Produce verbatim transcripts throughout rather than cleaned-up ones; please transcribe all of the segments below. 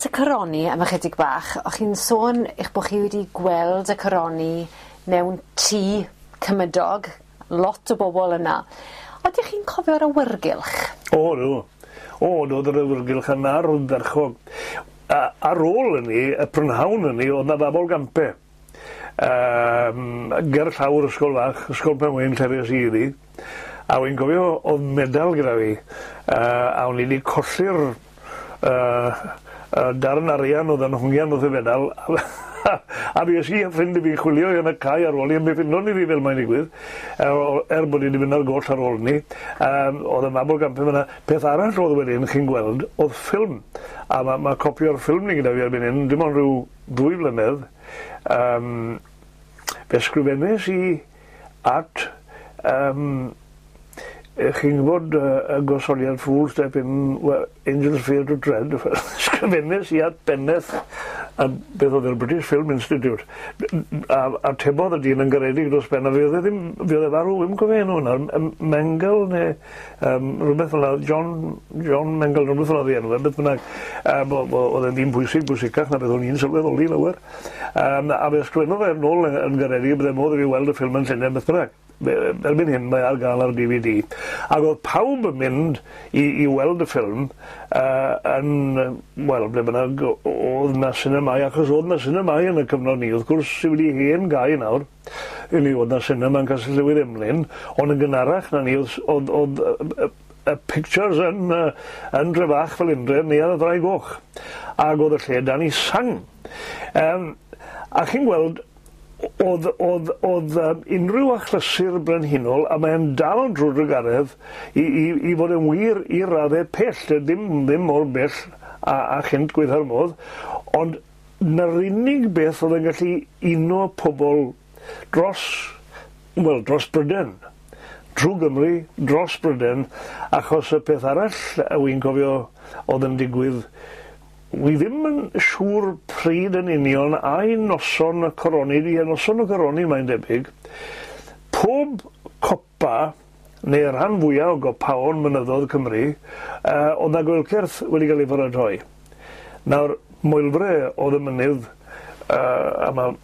Y coroni am ychydig bach, o'ch chi'n sôn eich bod chi wedi gweld y coroni mewn tŷ cymydog, lot o bobl yna. Ydych chi'n cofio'r awyrgylch? O, do. O, oedd yr awyrgylch yna ardderchog. A, ar ôl hynny, y prynhawn hynny, oedd 'na fabolgampe. Um, ger llawr ysgol fach, Ysgol Penwyn, lle fues i iddi. A wy'n gofio oedd medal gyda fi, uh, a o'n i wedi colli'r uh, uh, darn arian oedd yn hongian wrth y fedal, a fi es i a ffrind i fi chwilio yn y cae ar ôl i, a mi ffindon ni fi fel mae'n digwydd, er, er bod i wedi mynd ar goll ar ôl ni. Um, oedd y mabolgampe fyna. Peth arall oedd wedyn, chi'n gweld, oedd ffilm. A mae ma copi o'r ffilm ni gyda fi erbyn hyn, dim ond rhyw ddwy flynedd. Um, fe sgrifennes i at um, chi'n gwybod uh, y gosodiad "Fools Step In Where Angels Fear to Tread", sgrifennes i at benneth a beth oedd yr British Film Institute a, a tebodd y dyn yn garedig dros ben, a fe oedd e ddim, fe oedd e farw, ddim cofio enw hwnna, Mengel neu um, rhywbeth fel 'na, John, John Mengel, rhywbeth fel 'na enw e, beth bynnag. Um, oedd e'n ddyn pwysig, bwysicach na beth o'n i'n sylweddoli lawer. Um, a fe ysgrifennodd e nôl yn, yn garedig bydde modd i fi weld y ffilm yn Llundain, beth bynnag. Erbyn hyn mae ar gael ar D V D. Ac oedd pawb yn mynd i, i weld y ffilm uh, yn, wel, ble bynnag oedd na sinemâu, achos oedd na sinemâu yn y cyfnod ni, wrth gwrs sydd wedi hen gau nawr. I ni oedd na sinema yn Castell Newydd Emlyn, ond yn gynharach na ni oedd, oedd, oedd y, y pictures yn, uh, yn Drefach, Felindre, Neuadd y Ddraig Goch. Ac oedd y lle dan i sang. Um, a chi'n gweld, oedd, oedd, oedd um, unrhyw achlysur brenhinol, a mae'n dal drwy drugaredd i, i, i fod yn wir i raddau pell, ddim, ddim mor bell a, a chynt gweitha'r modd, ond na'r unig beth oedd yn gallu uno pobl dros, wel, dros Bryden, trwy Gymru, dros Bryden, achos y peth arall wy'n cofio oedd yn digwydd, wi ddim yn siŵr pryd yn union, ai noson y coroni, di noson y coroni mae'n debyg, pob copa, neu rhan fwyaf o gopaon mynyddoedd Cymru, uh, oedd na goelcerth wedi cael ei pharatoi. Nawr, Moelfre oedd y mynydd, uh, a mae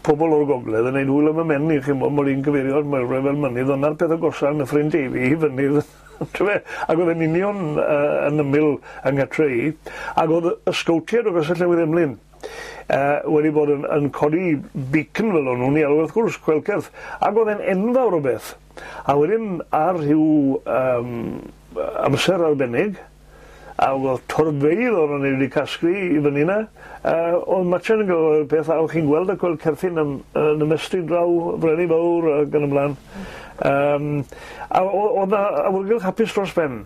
pobl o'r gogledd yn neud hwyl am y mhen i, chi'n bod, mod i'n cyfeirio at Moelfre fel mynydd, ond na'r peth agosa yn Nyffryn Teifi i fynydd. T'fe? Ac oedd e'n union uh, yn ymyl yng nghartre i, ac oedd y sgowtiaid o Gastell Newydd Emlyn uh, wedi bod yn, yn codi beacon fel o'n nhw'n ei alw wrth gwrs, coelcerth, ac oedd e'n enfawr o beth. A wedyn ar rhyw um, amser arbennig, a oedd torfeydd o'n nhw wedi casglu i fyny yna, uh, oedd matchen yn gyfer peth, a o'ch chi'n gweld y coelcerthyn yn, yn ymestyn draw Frenni Fawr ac yn ymlaen. Um, a oedd 'na awyrgylch hapus dros ben.